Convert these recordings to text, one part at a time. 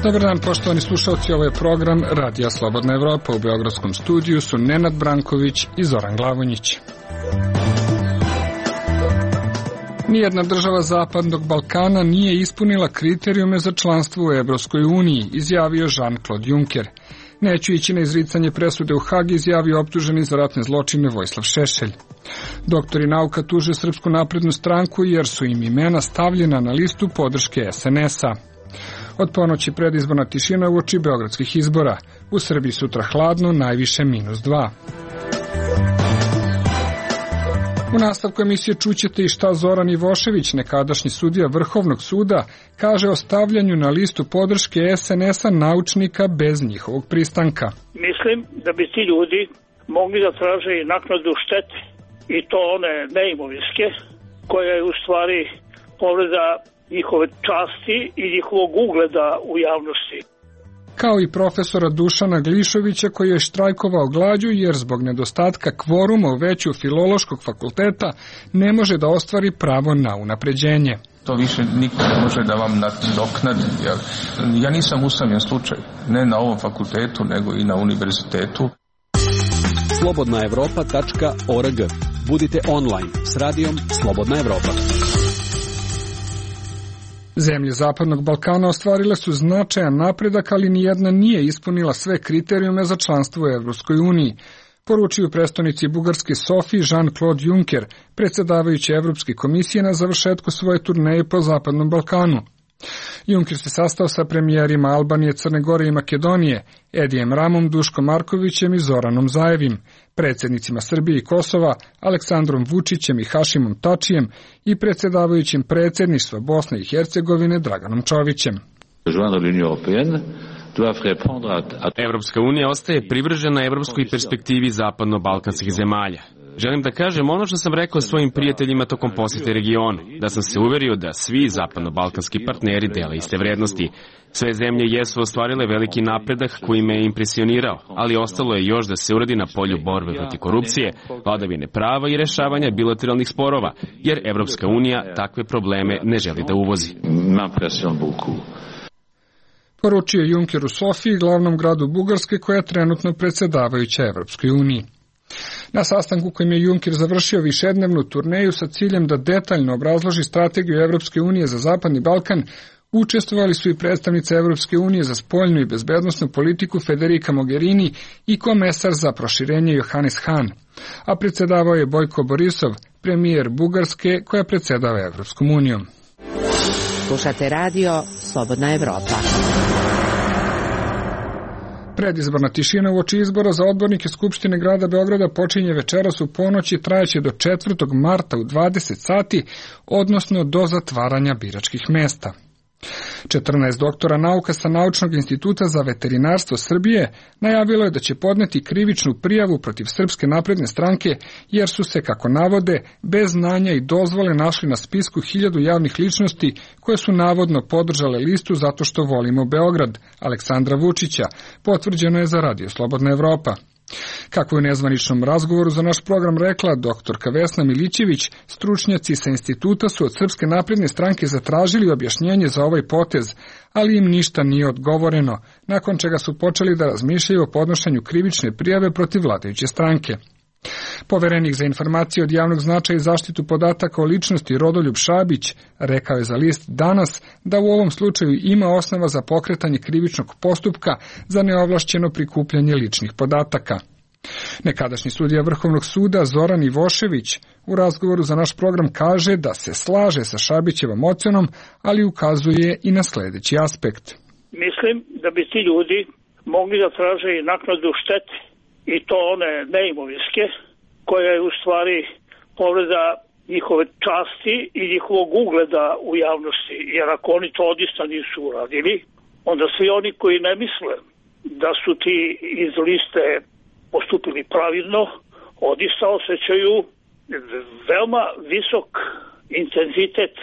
Dobar dan, poštovani slušalci, ovo je program Radija Slobodna Evropa. U beogradskom studiju su Nenad Branković i Zoran Glavonjić. Nijedna država Zapadnog Balkana nije ispunila kriterijume za članstvo u Evropskoj uniji, izjavio Jean-Claude Juncker. Neću ići na izricanje presude u Hag, izjavio optuženi za ratne zločine Vojislav Šešelj. Doktori nauka tuže Srpsku naprednu stranku jer su im imena stavljena na listu podrške SNS-a. Od ponoći predizborna tišina uoči beogradskih izbora. U Srbiji sutra hladno, najviše -2. U nastavku emisije čućete i šta Zoran Ivošević, nekadašnji sudija Vrhovnog suda, kaže o stavljanju na listu podrške SNS-a naučnika bez njihovog pristanka. Mislim da bi ti ljudi mogli da traže i naknadu štete, i to one neimovinske, koja je u stvari povreda njihove časti i njihovog ugleda u javnosti. Kao i profesora Dušana Glišovića, koji je štrajkovao glađu jer zbog nedostatka kvoruma u veću Filološkog fakulteta ne može da ostvari pravo na unapređenje. To više niko ne može da vam nadoknadi. Ja nisam usamljen slučaj, ne na ovom fakultetu, nego i na univerzitetu. slobodnaevropa.org. Budite online s radijom Slobodna Evropa. Zemlje Zapadnog Balkana ostvarile su značajan napredak, ali nijedna nije ispunila sve kriterijume za članstvo u Evropskoj uniji, poručio prestonici Bugarske Sofiji Jean-Claude Juncker, predsjedavajući Evropske komisije na završetku svoje turneje po Zapadnom Balkanu. Juncker se sastao sa premijerima Albanije, Crne Gore i Makedonije, Edijem Ramom, Duškom Markovićem i Zoranom Zajevim, predsjednicima Srbije i Kosova, Aleksandrom Vučićem i Hašimom Tačijem i predsjedavajućim predsjedništva Bosne i Hercegovine Draganom Čovićem. Evropska unija ostaje privržena evropskoj perspektivi zapadno-balkanskih zemalja. Želim da kažem ono što sam rekao svojim prijateljima tokom posjete regionu, da sam se uverio da svi zapadno-balkanski partneri dele iste vrednosti. Sve zemlje jesu ostvarile veliki napredak koji me je impresionirao, ali ostalo je još da se uradi na polju borbe protiv korupcije, vladavine prava i rešavanja bilateralnih sporova, jer Evropska unija takve probleme ne želi da uvozi. Poručio Juncker u Sofiji, glavnom gradu Bugarske, koja je trenutno predsjedavajuća Evropskoj uniji. Na sastanku kojim je Juncker završio višednevnu turneju sa ciljem da detaljno obrazloži strategiju Evropske unije za Zapadni Balkan, učestvovali su i predstavnice Evropske unije za spoljnu i bezbednosnu politiku Federica Mogherini i komesar za proširenje Johannes Hahn, a predsjedavao je Bojko Borisov, premijer Bugarske koja predsjedava Evropskom unijom. Slušate radio Slobodna Evropa. Predizborna tišina uoči izbora za odbornike Skupštine grada Beograda počinje večeras u ponoć i trajaće do 4. marta u 20 sati, odnosno do zatvaranja biračkih mesta. 14 doktora nauka sa Naučnog instituta za veterinarstvo Srbije najavilo je da će podneti krivičnu prijavu protiv Srpske napredne stranke jer su se, kako navode, bez znanja i dozvole našli na spisku 1000 javnih ličnosti koje su navodno podržale listu Zato što volimo Beograd, Aleksandra Vučića, potvrđeno je za Radio Slobodna Evropa. Kako je u nezvaničnom razgovoru za naš program rekla doktorka Vesna Milićević, stručnjaci sa instituta su od Srpske napredne stranke zatražili objašnjenje za ovaj potez, ali im ništa nije odgovoreno, nakon čega su počeli da razmišljaju o podnošenju krivične prijave protiv vladajuće stranke. Poverenik za informacije od javnog značaja i zaštitu podataka o ličnosti Rodoljub Šabić rekao je za list Danas da u ovom slučaju ima osnova za pokretanje krivičnog postupka za neovlašćeno prikupljanje ličnih podataka. Nekadašnji sudija Vrhovnog suda Zoran Ivošević u razgovoru za naš program kaže da se slaže sa Šabićevom ocenom, ali ukazuje i na sljedeći aspekt. Mislim da bi ti ljudi mogli da traže i naknadu štete, i to one neimovinske, koja je u stvari povreda njihove časti i njihovog ugleda u javnosti, jer ako oni to odista nisu uradili, onda svi oni koji ne misle da su ti iz liste postupili pravilno, odista osjećaju veoma visok intenzitet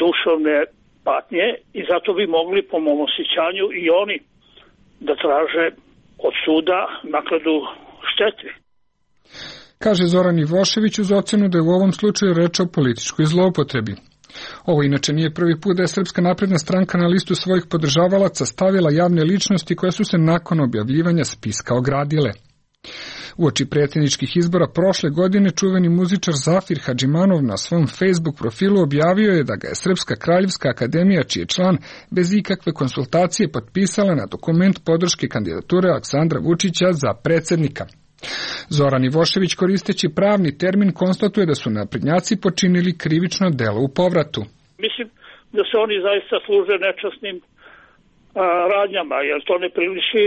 duševne patnje i zato bi mogli, po mom osjećanju, i oni da traže od suda naknadu štete. Kaže Zoran Ivošević uz ocenu da je u ovom slučaju reč o političkoj zloupotrebi. Ovo inače nije prvi put da je Srpska napredna stranka na listu svojih podržavalaca stavila javne ličnosti koje su se nakon objavljivanja spiska ogradile. Uoči predsjedničkih izbora prošle godine čuveni muzičar Zafir Hadžimanov na svom Facebook profilu objavio je da ga je Srpska kraljevska akademija, čiji je član, bez ikakve konsultacije potpisala na dokument podrške kandidature Aleksandra Vučića za predsjednika. Zoran Ivošević, koristeći pravni termin, konstatuje da su naprednjaci počinili krivično delo u povratu. Mislim da se oni zaista služe nečasnim radnjama, jer to ne priliči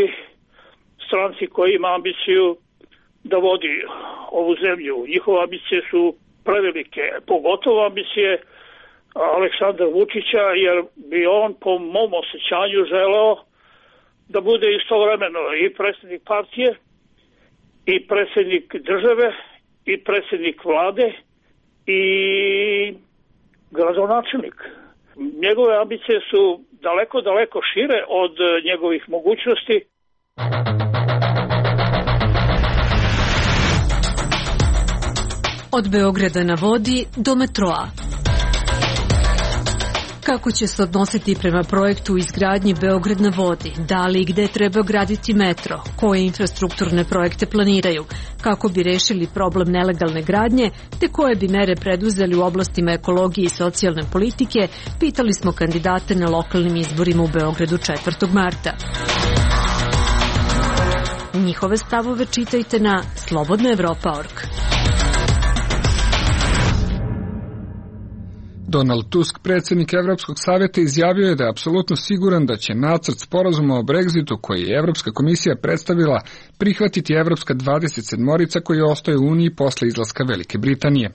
stranci koji ima ambiciju da vodi ovu zemlju. Njihove ambicije su prevelike, pogotovo ambicije Aleksandra Vučića, jer bi on po mom osjećanju želeo da bude istovremeno i predsjednik partije, i predsjednik države, i predsjednik vlade, i gradonačelnik. Njegove ambicije su daleko šire od njegovih mogućnosti. Od Beograda na vodi do metroa. Kako će se odnositi prema projektu izgradnji Beograd na vodi? Da li i gde treba graditi metro? Koje infrastrukturne projekte planiraju? Kako bi rešili problem nelegalne gradnje? Te koje bi mere preduzeli u oblastima ekologije i socijalne politike? Pitali smo kandidate na lokalnim izborima u Beogradu 4. marta. Njihove stavove čitajte na slobodnaevropa.org. Donald Tusk, predsjednik Evropskog savjeta, izjavio je da je apsolutno siguran da će nacrt sporazuma o Brexitu koji je Evropska komisija predstavila prihvatiti Evropska 27-orica koji ostaje u Uniji posle izlaska Velike Britanije.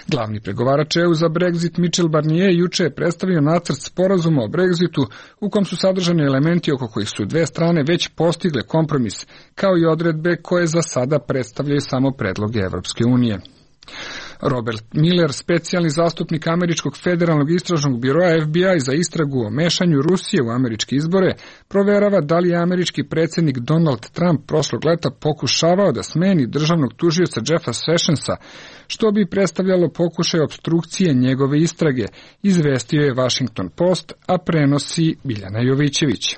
Glavni pregovarač EU za Brexit Michel Barnier juče je predstavio nacrt sporazuma o Brexitu u kom su sadržani elementi oko kojih su dve strane već postigle kompromis, kao i odredbe koje za sada predstavljaju samo predloge Evropske unije. Robert Miller, specijalni zastupnik Američkog federalnog istražnog biroa FBI za istragu o mešanju Rusije u američke izbore, proverava da li je američki predsjednik Donald Trump prošlog leta pokušavao da smeni državnog tužioca Jeffa Sessionsa, što bi predstavljalo pokušaj opstrukcije njegove istrage, izvestio je Washington Post, a prenosi Biljana Jovićević.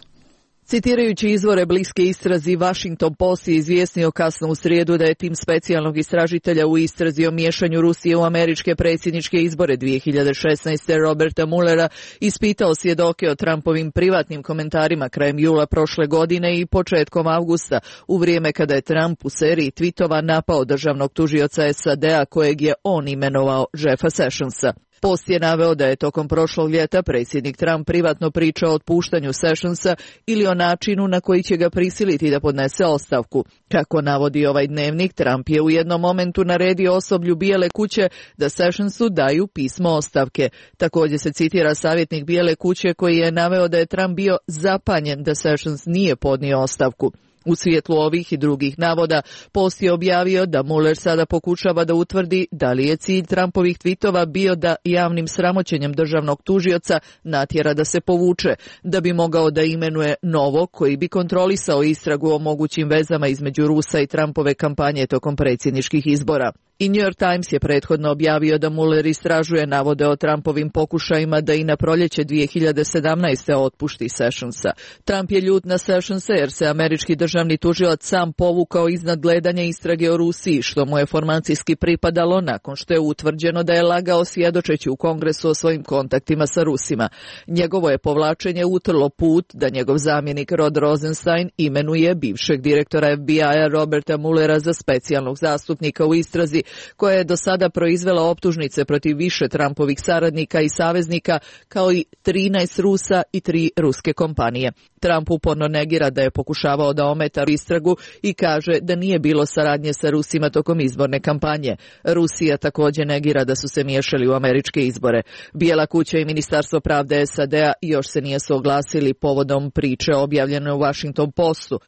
Citirajući izvore bliske istrazi, Washington Post je izvijestio kasno u srijedu da je tim specijalnog istražitelja u istrazi o miješanju Rusije u američke predsjedničke izbore 2016. Roberta Muellera ispitao svjedoke o Trumpovim privatnim komentarima krajem jula prošle godine i početkom avgusta, u vrijeme kada je Trump u seriji tweetova napao državnog tužioca SAD-a kojeg je on imenovao Jeffa Sessionsa. Post je naveo da je tokom prošlog ljeta predsjednik Trump privatno pričao o otpuštanju Sessionsa ili o načinu na koji će ga prisiliti da podnese ostavku. Kako navodi ovaj dnevnik, Trump je u jednom momentu naredio osoblju Bijele kuće da Sessionsu daju pismo ostavke. Također se citira savjetnik Bijele kuće koji je naveo da je Trump bio zapanjen da Sessions nije podnio ostavku. U svjetlu ovih i drugih navoda, Post je objavio da Mueller sada pokušava da utvrdi da li je cilj Trumpovih tvitova bio da javnim sramoćenjem državnog tužioca natjera da se povuče, da bi mogao da imenuje novog koji bi kontrolisao istragu o mogućim vezama između Rusa i Trumpove kampanje tokom predsjedničkih izbora. I New York Times je prethodno objavio da Mueller istražuje navode o Trumpovim pokušajima da i na proljeće 2017. otpušti Sessionsa. Trump je ljut na Sessionsa jer se američki državni tužilac sam povukao iznad gledanja istrage o Rusiji, što mu je formacijski pripadalo nakon što je utvrđeno da je lagao svjedočeći u Kongresu o svojim kontaktima sa Rusima. Njegovo je povlačenje utrlo put da njegov zamjenik Rod Rosenstein imenuje bivšeg direktora FBI-a Roberta Muellera za specijalnog zastupnika u istrazi, koja je do sada proizvela optužnice protiv više Trumpovih saradnika i saveznika, kao i 13 Rusa i 3 ruske kompanije. Trump uporno negira da je pokušavao da ometa istragu i kaže da nije bilo saradnje sa Rusima tokom izborne kampanje. Rusija također negira da su se miješali u američke izbore. Bijela kuća i Ministarstvo pravde SAD-a još se nije suglasili povodom priče objavljene u Washington Postu.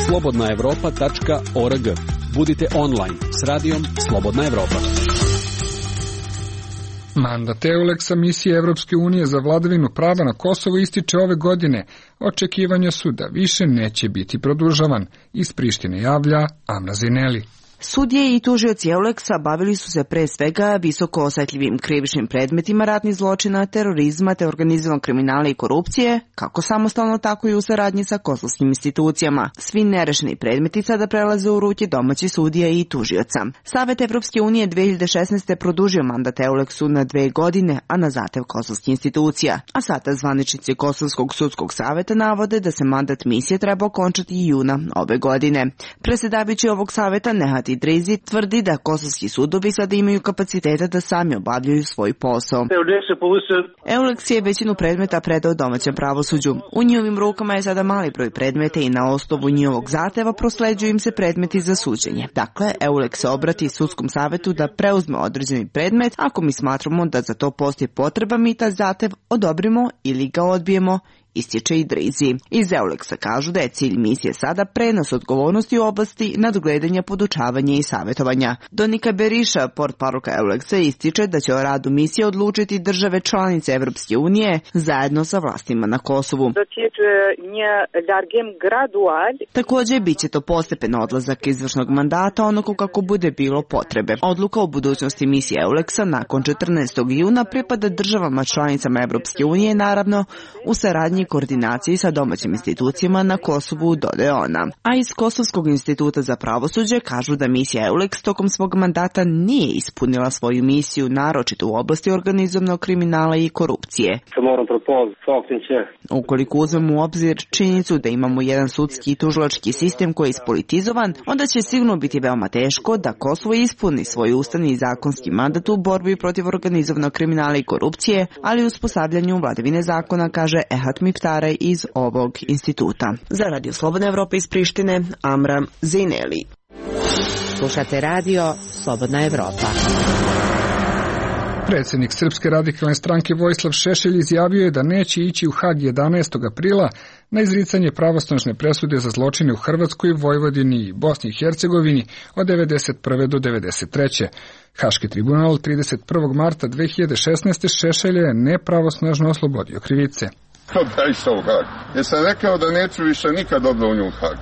slobodnaevropa.org. Budite online s radijom Slobodna Evropa. Mandat EULEX-a misije Evropske unije za vladavinu prava na Kosovo ističe ove godine. Očekivanja su da više neće biti produžavan. Iz Prištine javlja Amra Zineli. Sudije i tužioci EULEX-a bavili su se pre svega visoko osetljivim krivičnim predmetima ratnih zločina, terorizma te organizovanog kriminala i korupcije, kako samostalno tako i u saradnji sa kosovskim institucijama. Svi nerešeni predmeti sada prelaze u ruke domaćih sudija i tužioca. Savet Evropske unije 2016. produžio mandat EULEX-u na 2 godine, a na zahtev kosovskih institucija. A sada zvaničnici Kosovskog sudskog saveta navode da se mandat misije treba okončati juna ove godine. Predsjedavajući ovog saveta Nehat Idrizi tvrdi da kosovski sudovi sada imaju kapaciteta da sami obavljaju svoj posao. EULEX je većinu predmeta predao domaćem pravosuđu. U njihovim rukama je sada mali broj predmeta i na osnovu njihovog zahteva prosleđuju im se predmeti za suđenje. Dakle, EULEX se obrati sudskom savetu da preuzme određeni predmet ako mi smatramo da za to postoji potreba, mi taj zahtev odobrimo ili ga odbijemo, ističe Idrizi. Iz EULEX-a kažu da je cilj misije sada prenos odgovornosti u oblasti nadgledanja, podučavanja i savjetovanja. Donika Beriša, portparolka EULEX-a, ističe da će o radu misije odlučiti države članice Evropske unije zajedno sa vlastima na Kosovu. Također bit će to postepen odlazak izvršnog mandata onako kako bude bilo potrebe. Odluka o budućnosti misije EULEX-a nakon 14. juna pripada državama članicama Evropske unije, naravno u saradnji i koordinaciji sa domaćim institucijama na Kosovu, dodaje ona. A iz Kosovskog instituta za pravosuđe kažu da misija EULEX tokom svog mandata nije ispunila svoju misiju, naročito u oblasti organizovanog kriminala i korupcije. Ukoliko uzmemo u obzir činjenicu da imamo jedan sudski i tužilački sistem koji je ispolitizovan, onda će sigurno biti veoma teško da Kosovo ispuni svoj ustavni i zakonski mandat u borbi protiv organizovanog kriminala i korupcije, ali u uspostavljanju vladavine zakona, kaže Ehat Miftare iz ovog instituta. Za Radio Slobodna Evropa iz Prištine, Amra Zineli. Slušate radio Slobodna Evropa. Predsjednik Srpske radikalne stranke Vojislav Šešelj izjavio je da neće ići u Hag 11. aprila na izricanje pravosnažne presude za zločine u Hrvatskoj, Vojvodini i Bosni i Hercegovini od 1991. do 1993. Haški tribunal 31. marta 2016. Šešelja je nepravosnažno oslobodio krivice. Da išao u Hag. Jer sam rekao da neću više nikad dobrovoljno u Hag.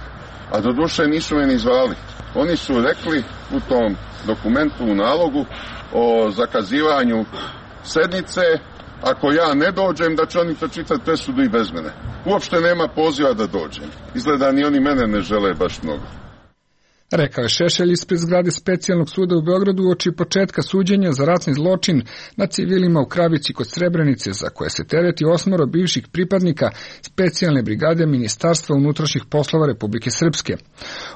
A do duše nisu me ni zvali. Oni su rekli u tom dokumentu, u nalogu o zakazivanju sednice, ako ja ne dođem, da će oni pročitati presudu i bez mene. Uopšte nema poziva da dođem. Izgleda ni oni mene ne žele baš mnogo. Rekao je Šešelj ispred zgrade Specijalnog suda u Beogradu uoči početka suđenja za ratni zločin na civilima u Kravici kod Srebrenice, za koje se tereti 8 bivših pripadnika Specijalne brigade Ministarstva unutrašnjih poslova Republike Srpske.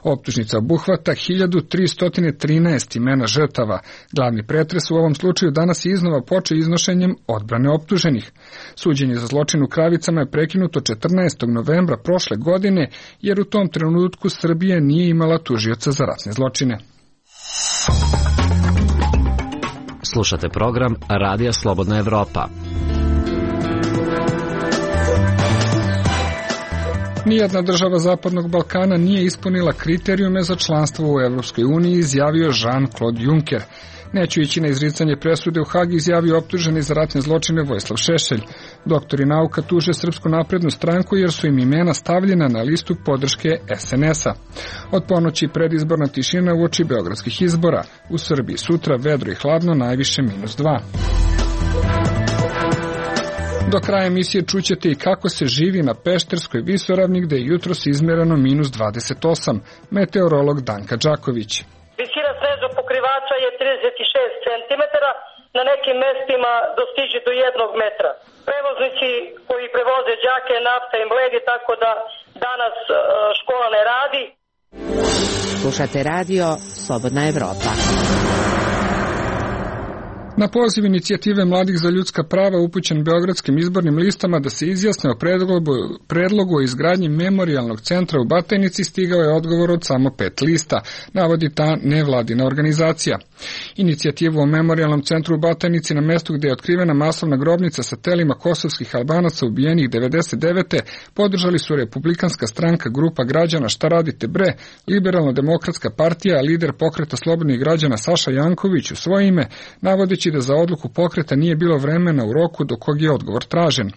Optužnica obuhvata 1313 imena žrtava. Glavni pretres u ovom slučaju danas je iznova počeo iznošenjem odbrane optuženih. Suđenje za zločin u Kravicama je prekinuto 14. novembra prošle godine, jer u tom trenutku Srbija nije imala tužioca za ratne zločine. Slušate program Radija Slobodna Evropa. Nijedna država Zapadnog Balkana nije ispunila kriterijume za članstvo u Evropskoj uniji, izjavio Jean-Claude Juncker. Neću ići na izricanje presude u Hag, izjavio optuženi za ratne zločine Vojislav Šešelj. Doktori nauka tuže Srpsku naprednu stranku jer su im imena stavljena na listu podrške SNS-a. Od ponoći predizborna tišina uoči beogradskih izbora. U Srbiji sutra vedro i hladno, najviše -2. Do kraja emisije čućete i kako se živi na Pešterskoj visoravni, gde je jutros izmereno -28. Meteorolog Danka Đaković. Visina snežnog pokrivača je 36 cm, na nekim mestima dostiže do 1 metra. Prevoznici koji prevoze đake, nafta im bledi, tako da danas škola ne radi. Slušate radio Slobodna Evropa. Na poziv inicijative Mladih za ljudska prava upućen beogradskim izbornim listama da se izjasne o predlogu o izgradnji memorijalnog centra u Batajnici stigao je odgovor od samo 5 lista, navodi ta nevladina organizacija. Inicijativu o memorijalnom centru u Batajnici na mestu gde je otkrivena masovna grobnica sa telima kosovskih Albanaca ubijenih 99. podržali su Republikanska stranka, grupa građana Šta radite bre, Liberalno-demokratska partija, lider pokreta slobodnih građana Saša Janković u svoje ime, navodeći da za odluku pokreta nije bilo vremena u roku do kog je odgovor tražen.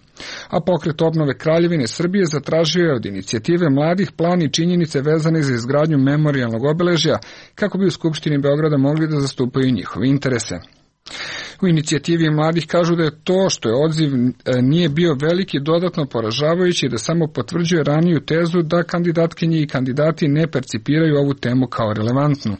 A pokret obnove Kraljevine Srbije zatražio je od inicijative mladih plan i činjenice vezane za izgradnju memorijalnog obeležja kako bi u Skupštini Beograda mogli da zastupaju njihove interese. U inicijativi mladih kažu da je to što je odziv nije bio veliki dodatno poražavajući i da samo potvrđuje raniju tezu da kandidatkinje i kandidati ne percipiraju ovu temu kao relevantnu.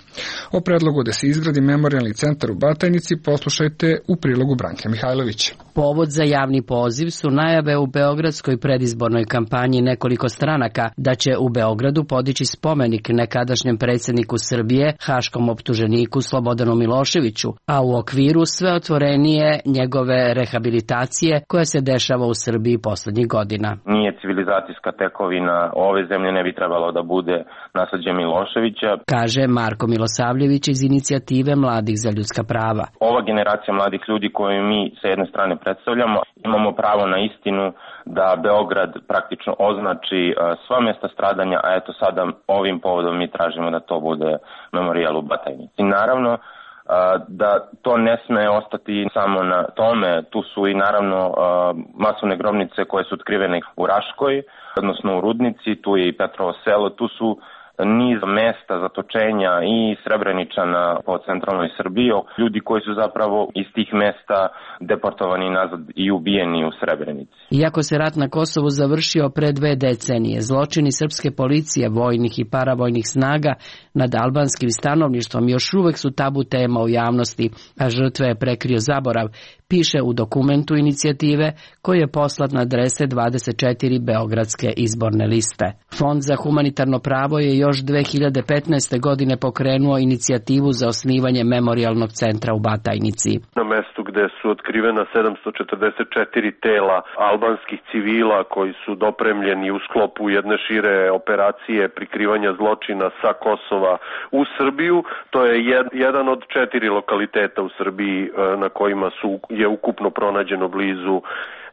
O predlogu da se izgradi memorijalni centar u Batajnici poslušajte u prilogu Branke Mihajlović. Povod za javni poziv su najave u beogradskoj predizbornoj kampanji nekoliko stranaka da će u Beogradu podići spomenik nekadašnjem predsjedniku Srbije, haškom optuženiku Slobodanu Miloševiću, a u okviru sve otvorenije njegove rehabilitacije koja se dešava u Srbiji poslednjih godina. Nije civilizacijska tekovina ove zemlje, ne bi trebalo da bude nasleđe Miloševića, kaže Marko Milosavljević iz inicijative Mladih za ljudska prava. Ova generacija mladih ljudi koju mi sa jedne strane predstavljamo, imamo pravo na istinu da Beograd praktično označi sva mjesta stradanja, a eto sada ovim povodom mi tražimo da to bude memorijal u Batajnici. I naravno da to ne sme ostati samo na tome, tu su i naravno masovne grobnice koje su otkrivene u Raškoj, odnosno u Rudnici, tu je i Petrovo selo, tu su niz mesta zatočenja i Srebreničana po centralnoj Srbiji, ljudi koji su zapravo iz tih mesta deportovani nazad i ubijeni u Srebrenici. Iako se rat na Kosovu završio pre 2 decenije, zločini srpske policije, vojnih i paravojnih snaga nad albanskim stanovništvom još uvek su tabu tema u javnosti, a žrtve je prekrio zaborav, piše u dokumentu inicijative koji je poslat na adrese 24 beogradske izborne liste. Fond za humanitarno pravo je još 2015. godine pokrenuo inicijativu za osnivanje memorijalnog centra u Batajnici. Na mestu gde su otkrivena 744 tela albanskih civila koji su dopremljeni u sklopu jedne šire operacije prikrivanja zločina sa Kosova u Srbiju, to je jedan od 4 lokaliteta u Srbiji na kojima je ukupno pronađeno blizu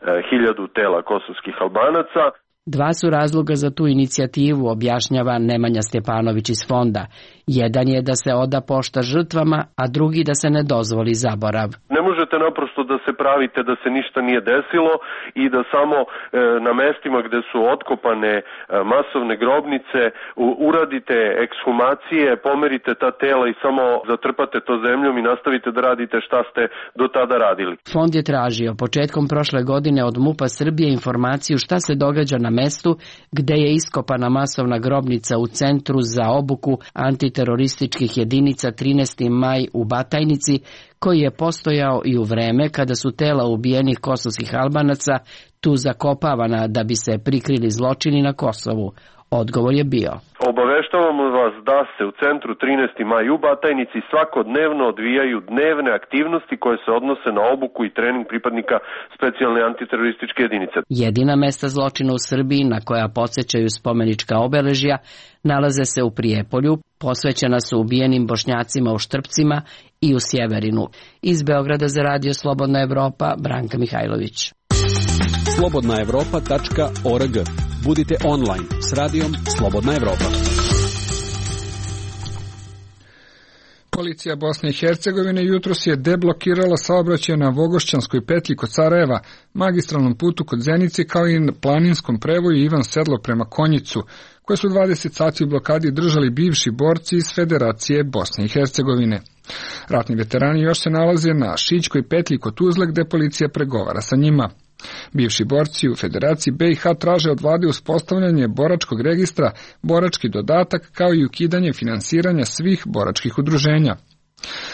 1000 tela kosovskih Albanaca. 2 su razloga za tu inicijativu, objašnjava Nemanja Stjepanović iz fonda. Jedan je da se oda pošta žrtvama, a drugi da se ne dozvoli zaborav. Ne možete naprosto da se pravite da se ništa nije desilo i da samo na mestima gde su otkopane masovne grobnice uradite ekshumacije, pomerite ta tela i samo zatrpate to zemljom i nastavite da radite šta ste do tada radili. Fond je tražio početkom prošle godine od MUP-a Srbije informaciju šta se događa na mestu gde je iskopana masovna grobnica u Centru za obuku antiterorističkih jedinica 13. maj u Batajnici, koji je postojao i u vreme kada su tela ubijenih kosovskih Albanaca tu zakopavana da bi se prikrili zločini na Kosovu. Odgovor je bio: Obaveštavamo vas da se u Centru 13. maj u Batajnici svakodnevno odvijaju dnevne aktivnosti koje se odnose na obuku i trening pripadnika specijalne antiterorističke jedinice. Jedina mesta zločina u Srbiji na koja podsjećaju spomenička obeležja nalaze se u Prijepolju, posvećena su ubijenim Bošnjacima u Štrpcima i u Sjeverinu. Iz Beograda za Radio Slobodna Evropa, Branka Mihajlović. slobodnaevropa.org. Budite online s radijom Slobodna Evropa. Policija Bosne i Hercegovine jutros je deblokirala saobraćaj na Vogošćanskoj petlji kod Sarajeva, magistralnom putu kod Zenice, kao i na planinskom prevoju Ivan Sedlo prema Konjicu, koje su 20 sati u blokadi držali bivši borci iz Federacije Bosne i Hercegovine. Ratni veterani još se nalaze na Šićkoj petlji kod Tuzle, gde policija pregovara sa njima. Bivši borci u Federaciji BiH traže od vlade uspostavljanje boračkog registra, borački dodatak, kao i ukidanje finansiranja svih boračkih udruženja.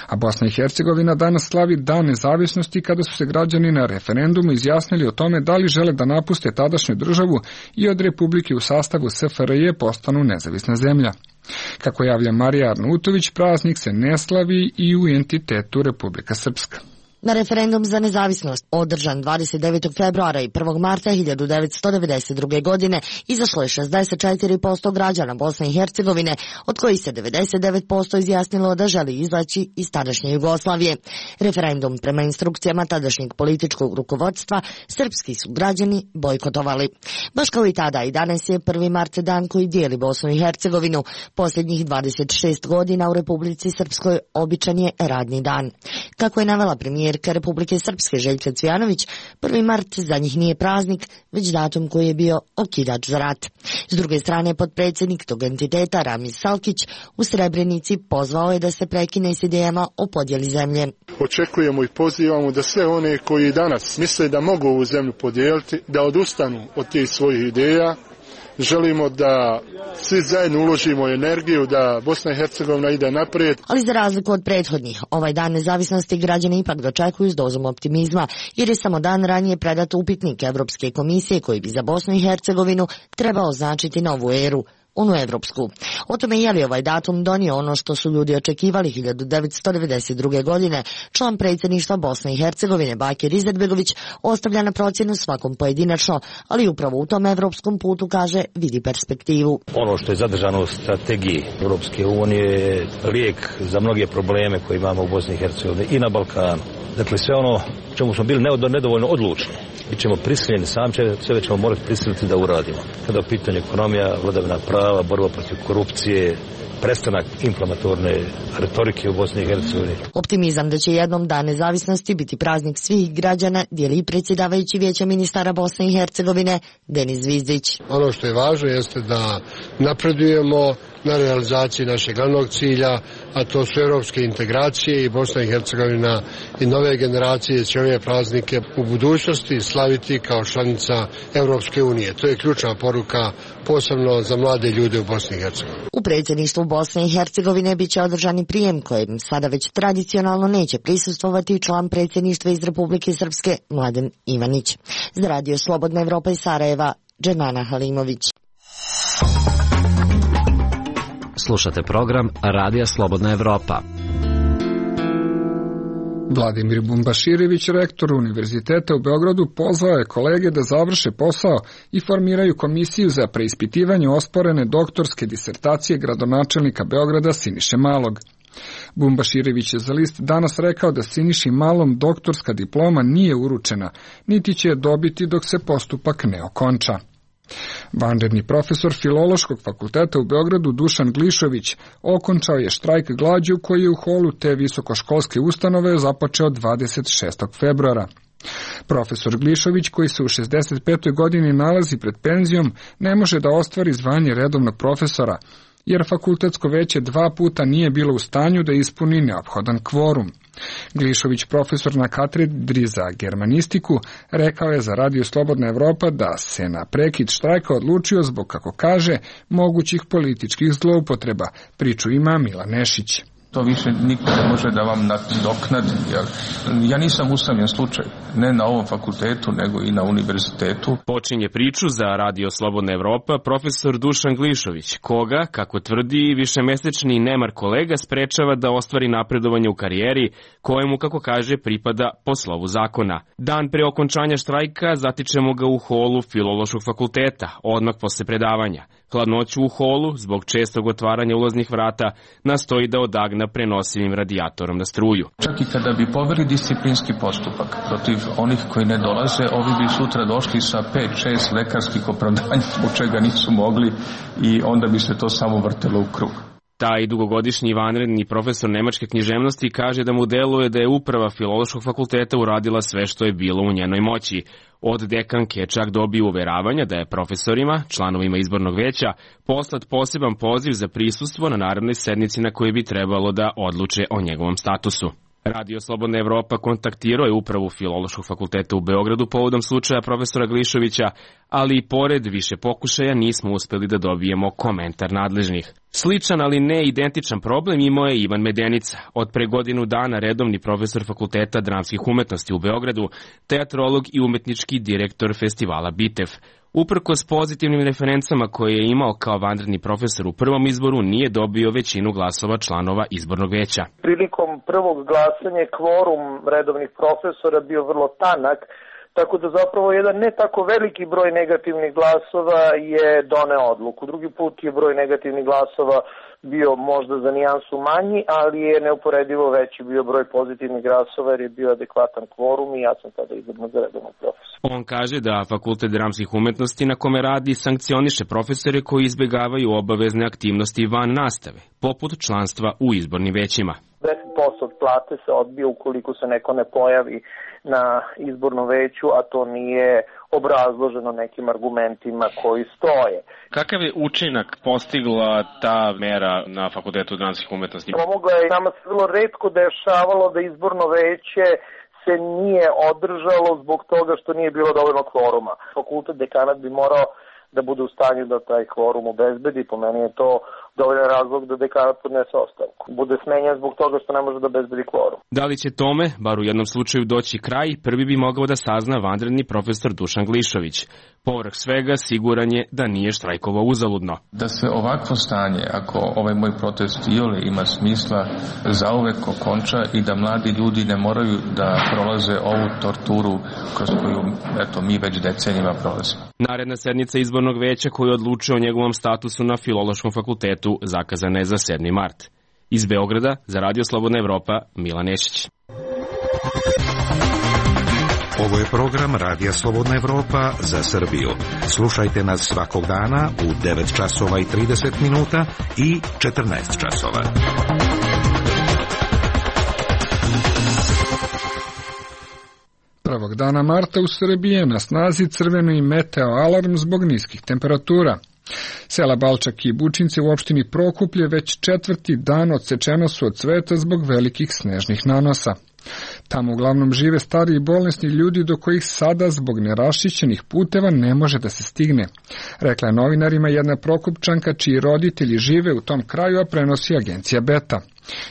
A Bosna i Hercegovina danas slavi Dan nezavisnosti, kada su se građani na referendumu izjasnili o tome da li žele da napuste tadašnju državu i od republike u sastavu SFRJ postanu nezavisna zemlja. Kako javlja Marija Arnautović, praznik se ne slavi i u entitetu Republika Srpska. Na referendum za nezavisnost, održan 29. februara i 1. marta 1992. godine, izašlo je 64% građana Bosne i Hercegovine, od kojih se 99% izjasnilo da želi izaći iz tadašnje Jugoslavije. Referendum prema instrukcijama tadašnjeg političkog rukovodstva srpski su građani bojkotovali. Baš kao i tada, i danas je 1. mart dan koji dijeli Bosnu i Hercegovinu. Posljednjih 26 godina u Republici Srpskoj običan je radni dan. Kako je navela premijerka Republike Srpske Željka Cvijanović, 1. mart za njih nije praznik, već datum koji je bio okidač za rat. S druge strane, potpredsjednik tog entiteta Ramiz Salkić u Srebrenici pozvao je da se prekine s idejama o podjeli zemlje. Očekujemo i pozivamo da sve one koji danas misle da mogu ovu zemlju podijeliti, da odustanu od tih svojih ideja. Želimo da svi zajedno uložimo energiju da Bosna i Hercegovina ide naprijed. Ali za razliku od prethodnih, ovaj dan nezavisnosti građani ipak dočekuju s dozom optimizma, jer je samo dan ranije predat upitnik Evropske komisije koji bi za Bosnu i Hercegovinu trebao značiti novu eru, onu evropsku. O tome je li ovaj datum donio ono što su ljudi očekivali 1992. godine, član predsjedništva Bosne i Hercegovine Bakir Izetbegović ostavlja na procjenu svakom pojedinačno, ali upravo u tom evropskom putu, kaže, vidi perspektivu. Ono što je zadržano u strategiji Europske unije je lijek za mnoge probleme koje imamo u Bosni i Hercegovini i na Balkanu. Dakle, sve ono čemu smo bili nedovoljno odlučni, mi ćemo prisiljeni, sve ćemo morati prisiliti da uradimo. Kada je u pitanju ekonomija, vladavina prava, borba protiv korupcije, prestanak inflamatorne retorike u Bosni i Hercegovini. Optimizam da će jednom dan nezavisnosti biti praznik svih građana dijeli i predsjedavajući Vijeća ministara Bosne i Hercegovine Denis Zvizdić. Ono što je važno jeste da napredujemo na realizaciji našeg glavnog cilja, a to su europske integracije, i Bosna i Hercegovina i nove generacije će ove praznike u budućnosti slaviti kao članica Europske unije. To je ključna poruka, posebno za mlade ljude u Bosni i Hercegovini. U predsjedništvu Bosne i Hercegovine biće održani prijem kojem sada već tradicionalno neće prisustvovati član predsjedništva iz Republike Srpske Mladen Ivanić. Za Radio Slobodna Evropa iz Sarajeva, Džemana Halimović. Slušate program Radija Slobodna Evropa. Vladimir Bumbaširević, rektor Univerziteta u Beogradu, pozvao je kolege da završe posao i formiraju komisiju za preispitivanje osporene doktorske disertacije gradonačelnika Beograda Siniše Malog. Bumbaširević je za list Danas rekao da Siniši Malom doktorska diploma nije uručena, niti će je dobiti dok se postupak ne okonča. Vanredni profesor Filološkog fakulteta u Beogradu Dušan Glišović okončao je štrajk glađu koji je u holu te visokoškolske ustanove započeo 26. februara. Profesor Glišović, koji se u 65. godini nalazi pred penzijom, ne može da ostvari zvanje redovnog profesora, jer fakultetsko veće 2 puta nije bilo u stanju da ispuni neophodan kvorum. Glišović, profesor na katedri za germanistiku, rekao je za Radio Slobodna Evropa da se na prekid štrajka odlučio zbog, kako kaže, mogućih političkih zloupotreba. Priču ima Milan Nešić. To više niko ne može da vam nadoknadi. Ja nisam usamljen slučaj, ne na ovom fakultetu, nego i na univerzitetu. Počinje priču za Radio Slobodna Evropa profesor Dušan Glišović, koga, kako tvrdi, višemesečni nemar kolega sprečava da ostvari napredovanje u karijeri, kojemu, kako kaže, pripada po slovu zakona. Dan pre okončanja štrajka zatičemo ga u holu Filološkog fakulteta, odmah posle predavanja. Hladnoću u holu, zbog čestog otvaranja ulaznih vrata, nastoji da odagna prenosivim radijatorom na struju. Čak i kada bi poveli disciplinski postupak protiv onih koji ne dolaze, ovi bi sutra došli sa 5-6 lekarskih opravdanja zbog čega nisu mogli i onda bi se to samo vrtelo u krug. Taj dugogodišnji vanredni profesor nemačke književnosti kaže da mu deluje da je uprava Filološkog fakulteta uradila sve što je bilo u njenoj moći. Od dekanke čak dobio uveravanja da je profesorima, članovima izbornog veća, poslat poseban poziv za prisustvo na narednoj sednici na kojoj bi trebalo da odluče o njegovom statusu. Radio Slobodna Evropa kontaktirao je upravu Filološkog fakulteta u Beogradu povodom slučaja profesora Glišovića, ali i pored više pokušaja nismo uspeli da dobijemo komentar nadležnih. Sličan, ali ne identičan problem imao je Ivan Medenica, od pre godinu dana redovni profesor Fakulteta dramskih umetnosti u Beogradu, teatrolog i umetnički direktor festivala Bitev. Uprkos pozitivnim referencama koje je imao kao vanredni profesor u prvom izboru, nije dobio većinu glasova članova izbornog veća. Prilikom prvog glasanja kvorum redovnih profesora bio vrlo tanak, tako da zapravo jedan ne tako veliki broj negativnih glasova je doneo odluku. Drugi put je broj negativnih glasova bio možda za nijansu manji, ali je neuporedivo veći bio broj pozitivnih glasova jer je bio adekvatan kvorum i ja sam tada izabran za redovnog profesora. On kaže da Fakultet dramskih umetnosti na kome radi sankcioniše profesore koji izbegavaju obavezne aktivnosti van nastave, poput članstva u izbornim većima. 10% od plate se odbije ukoliko se neko ne pojavi na izbornom veću, a to nije obrazloženo nekim argumentima koji stoje. Kakav je učinak postigla ta mera na Fakultetu dramskih umetnosti? Pomogla je, nama se vrlo retko dešavalo da izborno veće se nije održalo zbog toga što nije bilo dovoljno kvoruma. Fakultet dekanat bi morao da bude u stanju da taj kvorum obezbedi. Po meni je to dovoljan razlog da dekanat podnese ostavku. Bude smenjen zbog toga što ne može da obezbedi kvorum. Da li će tome, bar u jednom slučaju, doći kraj, prvi bi mogao da sazna vanredni profesor Dušan Glišović. Povrh svega, siguran je da nije štrajkovao uzaludno. Da se ovakvo stanje, ako ovaj moj protest iole ima smisla, zauvek okonča i da mladi ljudi ne moraju da prolaze ovu torturu kroz koju mi već decenijima prolazimo. Naredna sednica izbornog veća koji odlučuje o njegovom statusu na Filološkom fakultetu zakazana je za 7. mart. Iz Beograda, za Radio Slobodna Evropa, Milan Nešić. Ovo je program Radija Slobodna Evropa za Srbiju. Slušajte nas svakog dana u 9 časova i 30 minuta i 14 časova. Prvog dana marta u Srbiji je na snazi crveni meteo alarm zbog niskih temperatura. Sela Balčak i Bučinci u opštini Prokuplje već 4. dan odsečena su od cveta zbog velikih snežnih nanosa. Tamo uglavnom žive stari i bolesni ljudi do kojih sada zbog neraščišćenih puteva ne može da se stigne. Rekla je novinarima jedna Prokupčanka čiji roditelji žive u tom kraju, a prenosi agencija Beta.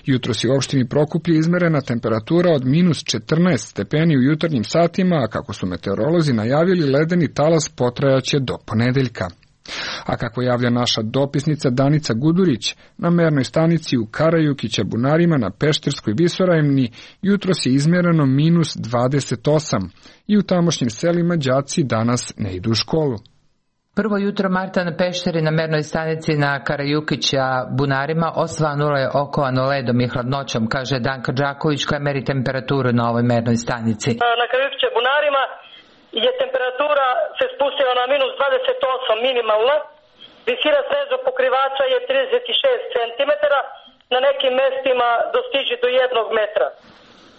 Jutros je u opštini Prokuplje izmerena temperatura od -14 stepeni u jutarnjim satima, a kako su meteorolozi najavili, ledeni talas potrajaće do ponedeljka. A kako javlja naša dopisnica Danica Gudurić, na mernoj stanici u Karajukića Bunarima na Pešterskoj visoravni jutros je izmjereno -28 i u tamošnjim selima đaci danas ne idu u školu. Prvo jutro marta na Pešteri na mernoj stanici na Karajukića Bunarima osvanulo je okovano ledom i hladnoćom, kaže Danka Đaković koja meri temperaturu na ovoj mernoj stanici. Na Karajukića Bunarima je temperatura se spustila na -28 minimalna, visina sneznog pokrivača je 36 cm, na nekim mestima dostiže do 1 metra.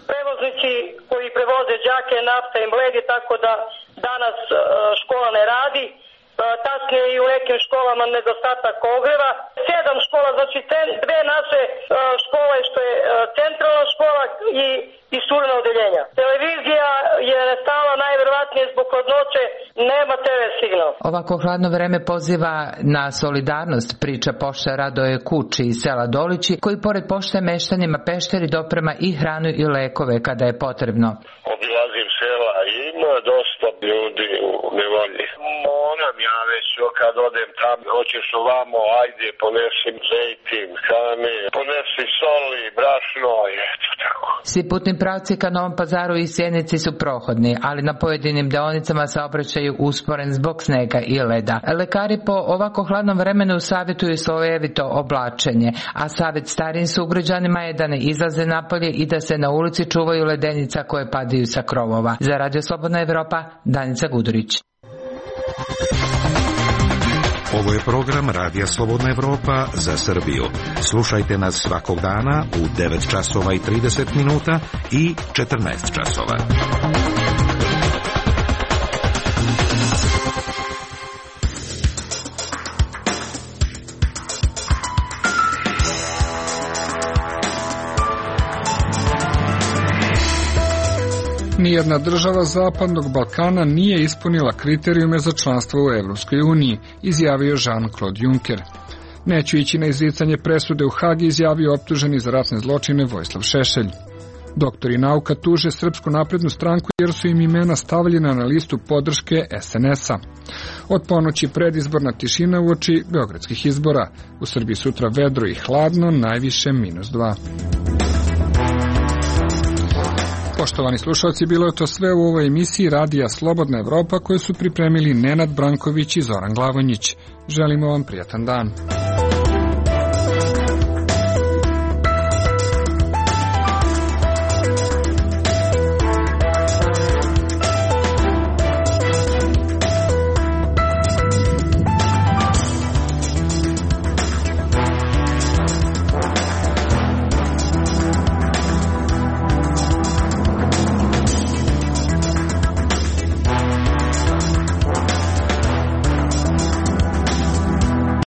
Prevoznici koji prevoze đake, nafta i mledi, tako da danas škola ne radi, tasnije i u nekim školama nedostatak ogreva. 7 škola, znači 2 naše škole što je centralna škola i surna odeljenja. Televizija je nestala najverovatnije zbog hladnoće, nema TV signal. Ovako hladno vreme poziva na solidarnost, priča pošta Radoje Kuči iz sela Dolići, koji pored pošte meštanima Pešteri doprema i hranu i lekove kada je potrebno. Obilazim sela i ima dosta ljudi u nevolji. Moram ja već kad odem tamo, hoćeš ovamo, ajde, ponesi zejtin, hrane, ponesi soli, brašno, eto tako. Svi putni pravci ka Novom Pazaru i Sjenici su prohodni, ali na pojedinim deonicama saobraćaju usporen zbog snega i leda. Lekari po ovako hladnom vremenu savjetuju slojevito oblačenje, a savjet starijim sugrađanima je da ne izlaze napolje i da se na ulici čuvaju ledenica koje padaju sa krovova. Za Radio Slobodna Evropa, Danica Gudurić. Ovo je program Radija Slobodna Evropa za Srbiju. Slušajte nas svakog dana u 9 časova i 30 minuta i 14 časova. Nijedna država Zapadnog Balkana nije ispunila kriterijume za članstvo u Evropskoj uniji, izjavio Jean-Claude Juncker. Neću ići na izricanje presude u Hagi, izjavio optuženi za ratne zločine Vojislav Šešelj. Doktori nauka tuže Srpsku naprednu stranku jer su im imena stavljena na listu podrške SNS-a. Od ponoći predizborna tišina uoči beogradskih izbora. U Srbiji sutra vedro i hladno, najviše -2. Poštovani slušalci, bilo je to sve u ovoj emisiji Radija Slobodna Evropa koju su pripremili Nenad Branković i Zoran Glavonjić. Želimo vam prijatan dan.